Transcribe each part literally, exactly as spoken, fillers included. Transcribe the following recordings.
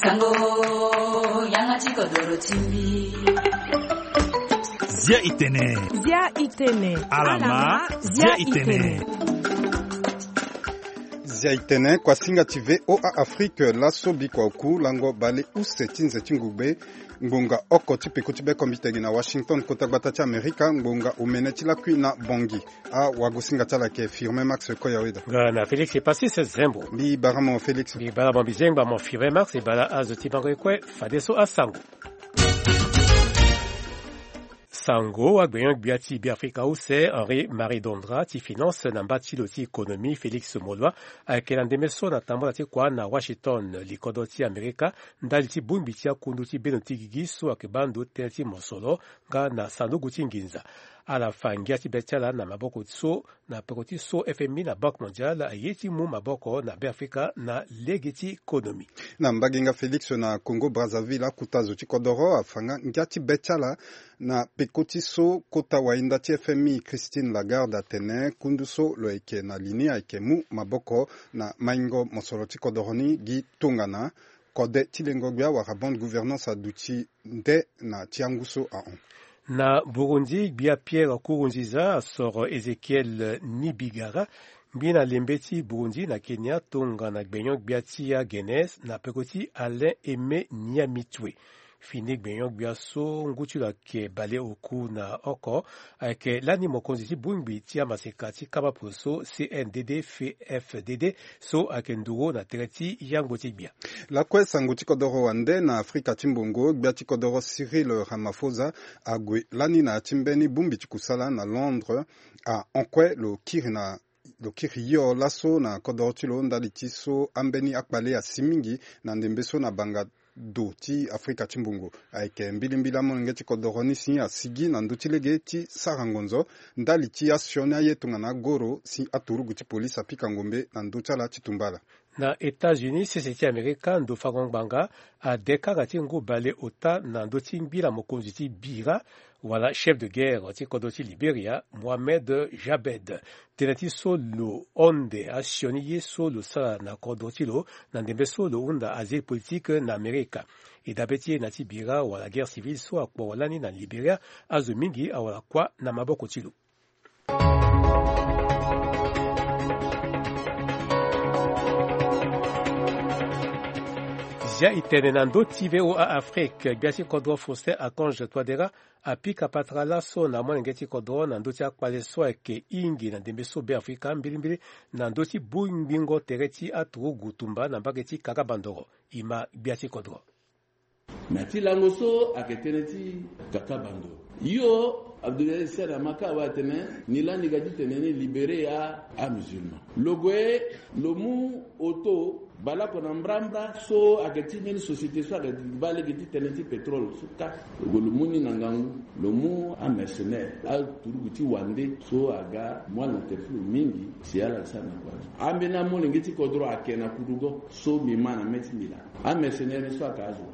Sango, yanga ti kodoro ti mbi. Zia itene. Zia itene. Alama, zia itene. Zia itene, kuasinga ti V O A Afrique, laso bikua oku lango bale use ti nze ti ngugbe, ngbonga oko ti peko ti bekombitegi na Washington, kota gbata ti Amerika, ngbonga omene ti lakui na Bangui. Awagosinga ti ala ayeke Firmin Max Koyaweda. Nga na Félix Epasis Zembo. Mbi bara mo Félix. Mbi bara mo mbi zengba mo Firmin Max, e bara azo ti bango ye kue, fadeso asango. Sango, agbenyo-gbia ti Beafrika use Henri Marie Dondra ti finance na mba ti lo ti économie Félix Moloi ayeke na ndembe so na tambula ti kua na Washington, likodro ti Amerika, ndali ti bongbi ti akundu ti beno ti gigi so ayeke baa ndo tënë ti mosoro nga na sanduku ti nginza. Ala fa ngia ti be ti ala na maboko so na peko ti so F M I na Banque Mondiale aye ti mu maboko na Beafrika na lege ti économie. Na mbage nga Félix, na Congo Brazzaville, akuta zo ti kodoro afa nga ngia ti be ti ala na peko ti so kota wahinda ti F M I Christine Lagarde atene kundu so lo yeke na li ni ayeke mu maboko na maingo mosoro ti kodoro ni gi tongana kode ti lengo-gbia wala bonne gouvernance aduti nde na ti angu so ahon. Na Burundi, gbia Pierre Nkurunziza asoro Ezekiel Nibigara, ngbi na lembe ti Burundi na Kenya, tongana gbenyo-gbia ti agene na peko ti Alain Aimé Nyamitwe. Fini gbenyo-gbia so ngu ti lo ayeke baleoku na oko, ayeke lani mokonzi ti bongbi ti amaseka ti kama poroso C N D D F D D so ayeke nduru na tere ti yangbo ti gbia. Lakue sango ti kodoro wande na Afrika ti mbongo, gbia ti kodoro Cyril Ramaphosa ague lani na ya ti mbeni bongbi ti kusala na Londres, ahon kue lo kiri na lo kiri hio laso na kodoro ti lo ndali ti so ambeni akpale asi mingi na ndembe so na banga do ti Afrika ti mbongo. Ayeke mbilimbili amolenge ti kodoro ni si asigi na ndö ti lege ti sara ngonzo ndali ti asioni aye tongana agoro si aturugu ti polise apika ngombe na ndö ti ala ti tumba ala. Na États-Unis, sese ti Amerika, ndo fango ngbanga ade kanga ti ngu baleota na ndö ti ngbi na mokonzi ti bira wala chef de guerre ti kodro ti Liberia, Mohamed Jabed. Tënë ti so lo honde asioni ye so lo sara na kodro ti lo na ndembe so lo hunda asile politique na Amerika. E dabe ti e na ti bira wala guerre civile so akporo lani na Liberia, azo mingi awara kuâ na maboko ti lo. Zia e tene na ndö ti V O A Afrique, gbia ti kodro Faustin Archange Touadéra apika patara laso na molenge ti kodro na ndö ti akpale so ayeke hingi na ndembe so Beafrika, mbilimbili na ndö ti bongbingo tere ti aturugu tumba na mbage ti Kaka Bandoro. E ma gbia ti kodro. Na ti lango so ayeke tënë ti Kaka Bandoro, yo Abdoulaye Said Amaka awe atene ni lani ga ti tene ni libéré a amusulman. Lo gue lo mu auto baleoko na mbrambra so ayeke ti mbeni société so ayeke baa lege ti tënë ti pétrole so kâ. Lo gue lo mu ni na ngangu, lo mu amercenaire, aturugu ti wande so aga mu ala na tere ti lo mingi si ala sara na kua. Ambeni amolenge ti kodro ayeke na kudugo so mbi ma na mê ti mbi laa. Amercenaire ni so ayeke azo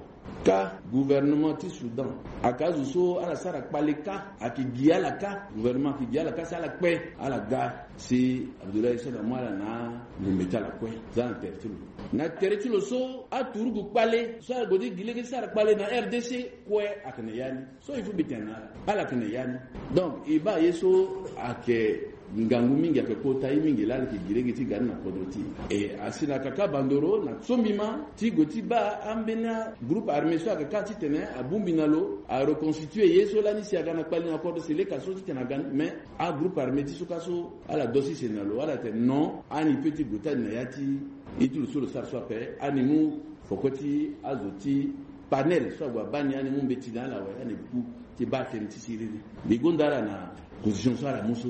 kâ, gouvernement ti Soudan ayeke azo so ala sara kpale kâ, ayeke gi ala kâ, gouvernement ayeke gi ala kâ si ala kpe, ala ga si Abdoulaye Soda mu ala na ngombe ti ala kue za na tere ti lo. Na tere ti lo so aturugu kpale so ala gue ti gi lege ti sara kpale na R D C kue ayeke na ya ni. So il faut mbi tene na ala, ala yeke na ya ni. Donc e baa ye so ayeke ngangu mingi, ayeke kota ye mingi laa ala yeke gi lege ti ga ni na kodro ti e. E asi na Kaka Bandoro na so mbi ma ti gue ti baa ambeni agroupe armé so ayeke kâ titene abongbi na lo areconstitué ye so lani si aga na kpali na kodro si leka so titene aga ni. Mais agroupe armé ti so kâ so ala dosi sene na lo, ala tene non, ani peut ti gue ti ani na ya ti ye ti lo so lo sara so ape, ani mu foko ti azo ti panel so ague abaa ni, ani mu mbeti na ala awe, ani gu ti baa tënë ti siriri. Mbi gonda ala na position so ala mu so.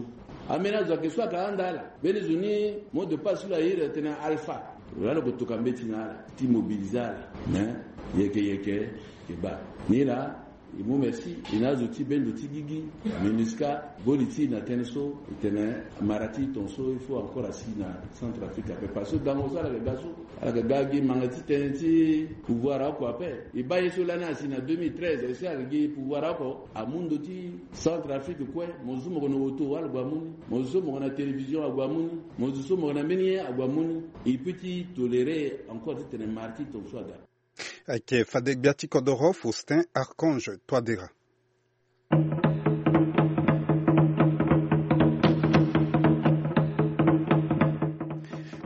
Ambeni azo ayeke so ayeke ahanda ala. Mbeni zo ni mot de passe so lo airi atene Alpha. Lo laa lo ko toka mbeti na ala ti mobiliser ala. Mais yeke yeke e baa ni laa. E mu merci. E na azo ti bendo ti gigi, MINUSCA, boli ti e na tënë so e tene mara ti e tongaso il faut encore asi na Centrafrique ape. Parce que gango so ala yeke ga so, ala yeke ga gi manga ti tënë ti pouvoir oko ape. E baa ye so lani asi na deux mille treize, e si ayeke gi pouvoir oko, amu ndo ti Centrafrique kue. Mo zo so mo yeke na auto, ala gue amu ni. Mo zo so mo yeke na télévision, ague amu ni. Mo zo so mo yeke na mbeni ye, ague amu ni. E peut ti tolérer encore titene mara ti tongaso aga. Ayeke fade gbia ti kodoro Faustin Archange Touadéra.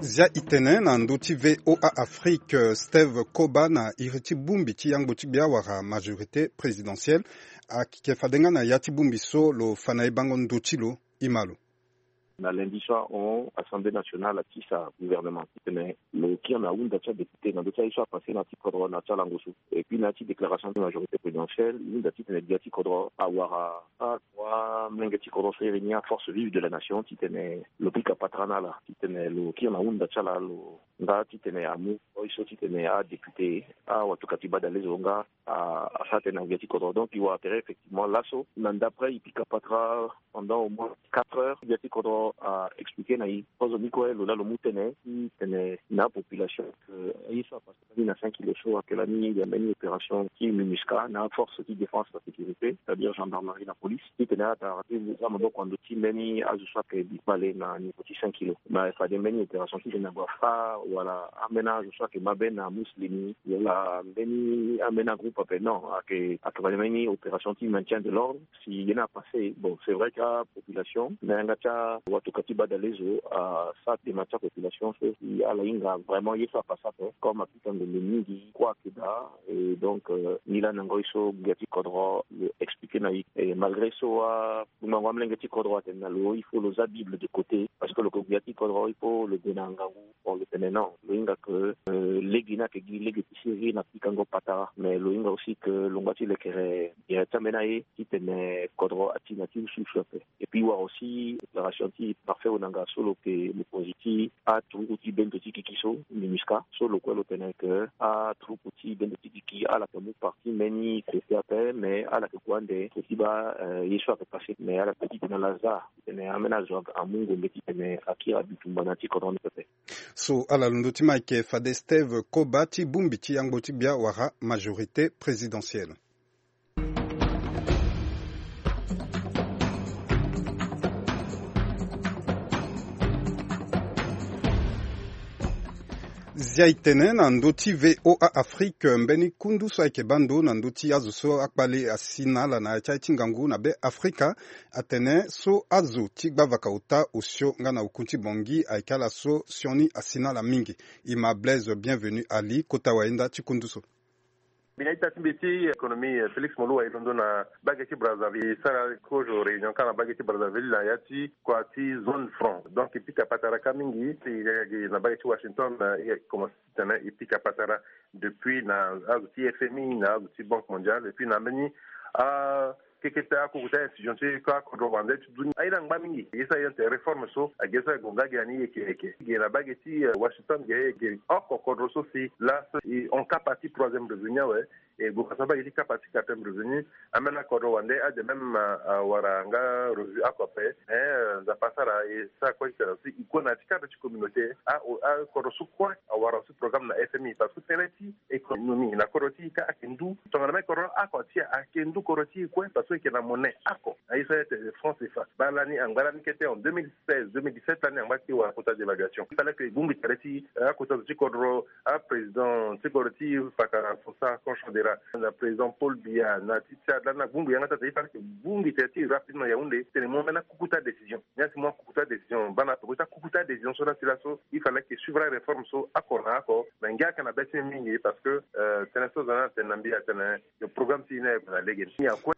Zia e tene na ndö ti V O A Afrique, Steve Koba na iri ti bongbi ti yangbo ti gbia wala majorité présidentielle, ayeke fade nga na ya ti bongbi so lo fa na e bango ndö ti lo. E ma lo. Na lundi so ahon, Assemblée nationale atisa gouvernement titene lo kiri na ahunda ti adéputé na ndö ti aye so apassé na ya ti kodro na ya ti alango so. Et puis na ya ti déclaration ti majorité présidentielle, e hunda titene gbia ti kodro awara adroit amolenge ti kodro so iri ni aforce vive de la nation titene lo pika patara na ala, titene lo kiri na ahunda ti ala, lo nga titene amu oi so titene adéputé, awatukati badalezo nga a, asara tënë na gbia ti kodro. Donc e wara tere effectivement laso na ndapre e pika patara pendant au moins quatre heures, gbia ti kodro a expliqué na e kozo ni kue lo laa lo mu tënë ti tene na apopulation que ye so apassé lani na cinq kilo so ayeke lani ya mbeni opération ti MINUSCA na aforce ti défense, la sécurité, c'est-à-dire gendarmerie, la police, titene ala tara ti za maboko na ndö ti mbeni azo so ayeke bi kpale na niveau ti cinq kilo. Mais fade mbeni opération titene ague afâ wala ambeni azo so ayeke mabe na Muslim wala mbeni ambeni agroupe ape, non, ayeke, ayeke fade mbeni opération ti maintien de l'ordre. Si ye ni apassé, bon, c'est vrai que apopulation na yanga ti awatoka ti badalezo asara dema ti apopulation so si ala hinga vraiment ye so apassé ape, comme apikango lo mingi kue ayeke daa. Et donc euh, ni laa na ngoi so gbia ti kodro lo expliqué na e. Et malgré so a ngbanga amolenge ti kodro atene na lo il faut lo za Bible de côté, parce que lo ke gbia ti kodro il faut lo gue na ngangu. Bon, lo tene non, lo hinga que euh, lege ni ayeke gi lege ti sérieux na pikango patara, mais lo hinga aussi que lo ngba ti lekere gere ti ambeni aye titene kodro ati na ti usuusu ape. Et puis e wara aussi déclaration ti Parfait Onanga so lo ke mokonzi ti aturuku ti bendo ti kiki so, MINUSCA, so lo kue lo tene que aturuku ti bendo ti kiki ala yeke mu parti mbeni côté ape, mais ala yeke gue ande côté ti baa euh, ye so ayeke passé, mais ala peut titene ala za titene ambeni azo amu ngombe titene akiri abitumba na ya ti kodro ni pepe. So ala londo ti ma ayeke fade Steve Koba ti bongbi ti yangbo ti gbia wala majorité présidentielle. Zia e tene na ndö ti V O A Afrique, mbeni kundu so ayeke baa ndo na ndö ti azo so akpale asi na ala na ya ti aye ti ngangu na Be Afrika, atene so azo ti gbavaka ota osio nga na oku ti Bangui ayeke ala so sioni asi na ala mingi. E ma Blaise Bienvenu Ali, kota wayenda ti kundu so. Mbi na ita ti mbi ti économie, Félix Moloua, e londo na bage ti Brazzaville, e sara kozo réunion kâ na bage ti Brazzaville na ya ti kua ti zone franc. Donc e pika patara kâ mingi, e ga gi na bage ti Washington, e commencé titene e pika patara depuis na azo ti F M I, na azo ti Banque Mondiale, et puis na mbeni a keke ti akoko ti a institution ti kâ kodro wande ti dunia. Aye ni angba mingi. Ye so aye ate réforme so age so aye gue nga gi na ni yeke yeke. Ge na bage ti, eh, Washington ge, ge oko kodro so si laso e hon kapa ti troisième revenu awe. E gue fa so abaa gi ti kapa ti quatrième revenu. Ambeni akodro wande ade même, ah, awara nga revenu oko ape. Eh, Nzapa asara e sara kue ti tene si e gue na ya ti cadre ti communauté. Ah, akodro so kue awara aussi programme na F M I parce que tënë ti économie na kodro ti e kâ ayeke ndu. Tongana même kodro oko ti e ayeke ndu kodro ti e kue parce que e yeke na monnaie oko. Aye so aye ate franc CFA. Baa lani angba lani kete en deux mille seize, deux mille dix-sept lani angba ti wara kota dévaluation. Il fallait que e bongbi tere ti, eh, akota zo ti kodro, aprésident ti kodro ti fakara François Archange Touadéra, na président Paul Biya, na ti Tchad lani abongbi yanga ti ata, il fallait que e bongbi tere ti e rapidement Yaoundé titene e mu ambeni akukuta décision. Ni asi mu akukuta décision, baa na tokua ti akukuta décision so ni asi laso, il fallait que e suivre aréforme so oko na oko. Mais ngia ayeke na be ti mbi mingi parce que, euh, tënë so aza ni atene na mbi atene, le programme ti e ni aye gue na lege ni akue.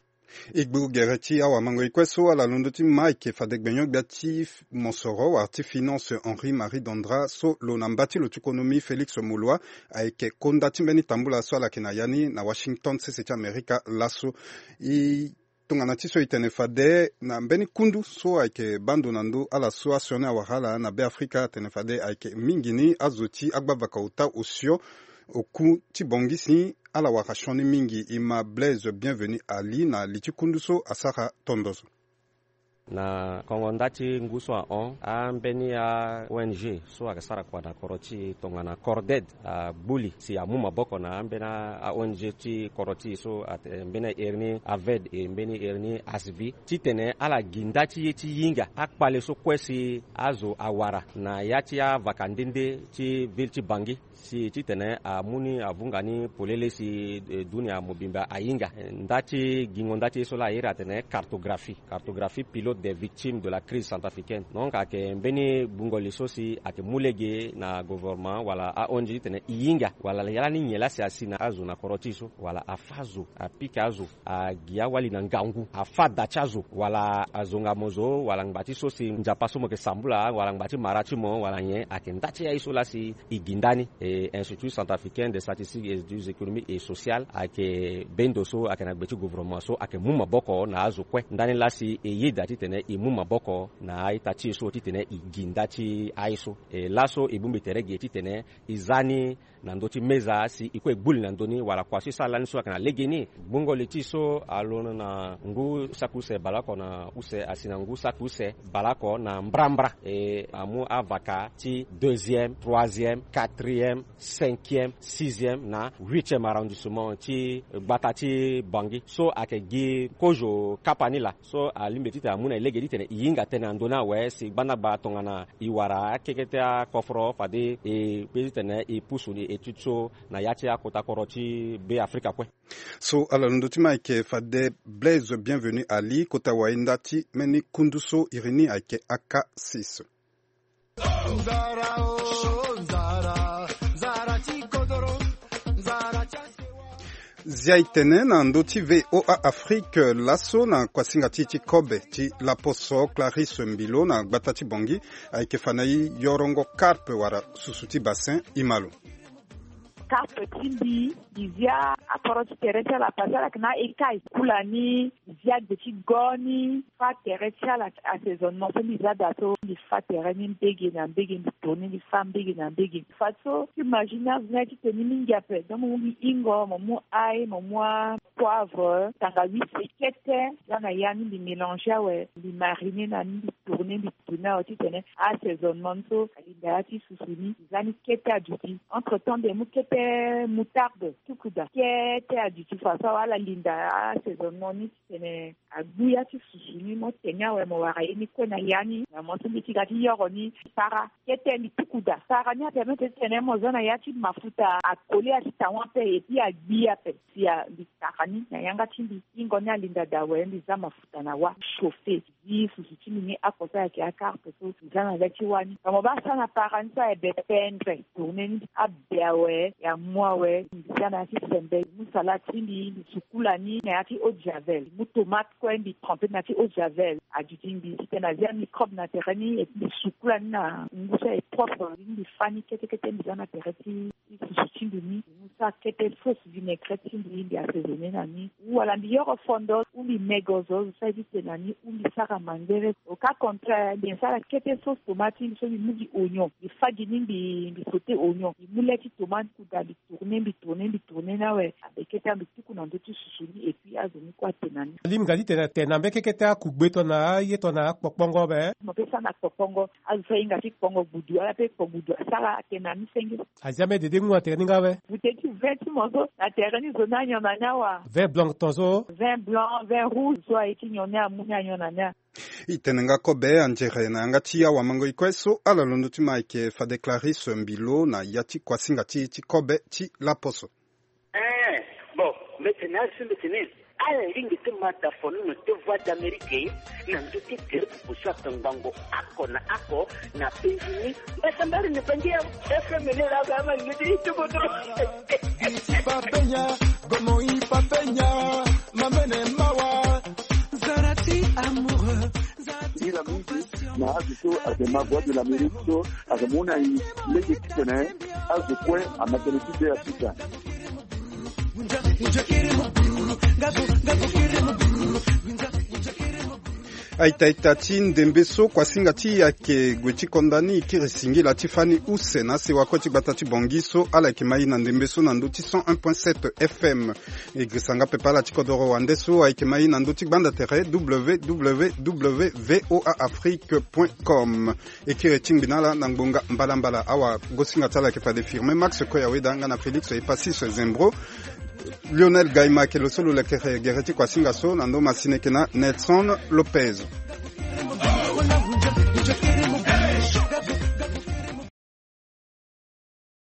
E gbu gere ti awamango e kue so ala londo ti ma ayeke fade gbenyo-gbia ti mosoro wala ti finance Henri Marie Dandra so lo na mba ti lo ti konomi Félix Moloua ayeke konda ti mbeni tambula so ala yeke na ya ni na Washington, sese ti Amerika laso. E tongana ti so e tene fade na mbeni kundu so ayeke baa ndo na ndö ala so asioni awara ala na Be Afrika atene fade ayeke mingi ni azo ti agbavaka ota osio Oku ti Bangui si ala wara sioni mingi, e ma Blaise Bienvenu Ali na li ti kundu so asara tondozo. Na kongo nda ti ngu so ahon, ambeni a-O N G so ayeke sara kua na kodro ti e tongana Corded agbu li si amu maboko na ambeni a-O N G ti kodro ti e so, ate mbeni a iri ni AVED e mbeni iri ni ASVI, titene ala gi nda ti ye ti hinga akpale so kue si azo awara na ya ti avaka nde nde ti ville ti Bangui. Si titene amu ni avunga ni polele si, eh, dunia mobimba ahinga. Eh, nda ti gingo nda ti ye so laa a iri atene cartographie, cartographie pilote des victimes de la crise centrafricaine. Donc ayeke mbeni gbungo li so si ayeke mu lege na gouvernement wala a-O N G titene e hinga wala ya lani nyen laa si asi na azo na kodro ti e so wala afâ zo, apika azo, agi awali na ngangu, afâ da ti azo wala azonga mo zo wala ngba ti so si nzapa so mo yeke sambula wala ngba ti mara ti mo wala nyen, ayeke nda ti aye so laa si e gi nda ni. E Institut Centrafricain des Statistiques et des Économies et Sociales ayeke bendo so ayeke na gbe ti gouvernement so ayeke mu maboko na azo kue. Ndani laa si e yeda titene e mu maboko na a-ita ti e so titene e gi nda ti aye so. E laso e bongbi tere ge titene e za ni na ndö ti meza si e kue e gbu li na ndö ni wala kua so e sara lani so ayeke na legeni. Gbungo li ti e so alondo na ngu saki use baleoko na use asi na ngu saki use baleoko na mbrambra. E amu avaka ti deuxième, troisième, quatrième, cinquième, sixième na huitième arrondissement ti gbata ti Bangui so ayeke gi kozo kapa ni laa. So alingbi titene amu na e lege titene e hinga tënë na ndö ni awe si gbandagba tongana e wara akekete akoforo fade e kpe titene e pusu ni étude so na ya ti akota kodro ti Be Afrika kue. So ala londo ti ma ayeke fade Blaise Bienvenu Ali kota wahinda ti mbeni kundu so iri ni ayeke A K six. Zia e tene na ndö ti V O A Afrique laso na kuasinga ti e ti kobe ti laposo Clarisse Mbilo na gbata ti Bangui ayeke fa na e yorongo carpe wala susu ti bassin. E ma lo. Carpe ti mbi, mbi zia akoro ti tere ti ala parce que ala yeke na a-écaille kula ni. Mbi zia gbe ti go ni, fâ tere ti ala ti assaisonnement so mbi za daa so mbi fâ tere ni mbege na mbege, mbi tourner mbi fâ mbege na mbege. Fadeso ti imaginer azo ni aye ti tene ni mingi ape. Donc mo mu mbi hingo, mo mu ail, mo mu apoivre, tangawizi kete, za na ya ni mbi mélanger awe, mbi mariner na ni, mbi tourner mbi tourner awe titene assaisonnement ni so alinda ya ti susu ni, mbi za ni kete aduti. Entre temps mbi mu kete moutarde, tukuda, kete aduti. Fadeso awe ala linda assaisonnement ni titene agbu ya ti susu ni, mo tene awe mo wara ye ni kue na ya ni. Na mo so mbi ti ga ti yoro ni para kete mbi tukuda. Para ni apermettre titene mo za na ya ti mafuta akole ya ti tawa ape et puis agbi ape. Si a mbi tara ni na yanga ti mbi, hingo ni alinda daa awe, mbi za mafuta na wâ, chauffer. Zi susu ti mbi ni oko so ayeke a-carpe so, mbi za na le ti wâ ni. Ka mo baa sara na para ni so aye be pendre, tourner ni abe awe, ya mu awe, mbi za na ya ti sembe, mbi mu salade ti mbi, mbi sukula ni na ya ti eau de javel, mbi mu tomate kue mbi tremper na ya ti eau de javel, aduti mbi titene azia microbe na tere ni, et puis mbi sukula ni na ngu so aye propre, mbi fâ ni kete kete, mbi za na tere ti ti susu ti mbi ni, mbi mu sara kete sauce vinaigrette ti mbi, mbi assaisonner na ni. Ou wala mbi yoro fondo, ou mbi mego zo, zo so aye ti tene na ni, ou mbi sara mangbere. Au cas contraire, mbi sara kete sauce tomate ti mbi so mbi mu gi oignon, mbi fâ gi ni, mbi, mbi sauter oignon, mbi mu le ti tomate kuda, mbi tourner, mbi tourner, mbi tourner ni awe. Abe kete mbi tuku na ndö ti susu ni et puis azo ni kue atene na ni. Alingbi nga ti tene, tene na mbeni kekete akugbe tongana aye tongana akpokpongo be. Mo peut sara na kpokpongo. Azo so ahinga ti kpongo gbudu, ala peut kpo gbudu asara, atene na ni senge. Azia mbeni dede ngu na tere ni nga be. Bouteille ti vin ti mo so na tere ni zo ni anyon na ni awa. Vin blanc ton so. Vin blanc, vin rouge so aye ti nyon ni amu ni anyon na ni a. E tene nga kobe anzere na yanga ti awamango-e kue so ala londo ti ma ayeke fade Clarisse Mbilo na ya ti kuasinga ti e ti kobe ti laposo. Eh, bon, mbi tene asi mbi tene, ala lingbi ti ma da fono na te Voix d'Amérique na ndö ti tere pupu so atongbango oko na oko na penzi ni. Mbi sambari ni penzi ya F M ni la ga ma ni ti tukutu. Papenya, gomo i papenya, mamene mawa. Zarati amoureux. Ila mingi na azo so ayeke ma Voix de l'Amérique so ayeke mu na e lege titene azo kue ama tene ti be Afrika. Aita ita ti ndembe so kuasinga ti e ayeke gue ti konda ni, e kiri singila ti fani use na sewa kue ti gbata ti Bangui so ala yeke ma e na ndembe so na ndö ti cent un point sept F M. E girisa nga pepe ala ti kodoro wande so ayeke ma e na ndö ti gbanda tere w w w voa afrique point com. E kiri ti ngbi na ala na ngbonga mbalambala. Awagosinga ti ala ayeke fade Firmin Max Koyaweda nga na Félix Epasis Zembro. Lionel Gaima ayeke lo so lo lekere gere ti kuasinga so na ndö masini, eke na Nelson Lopez.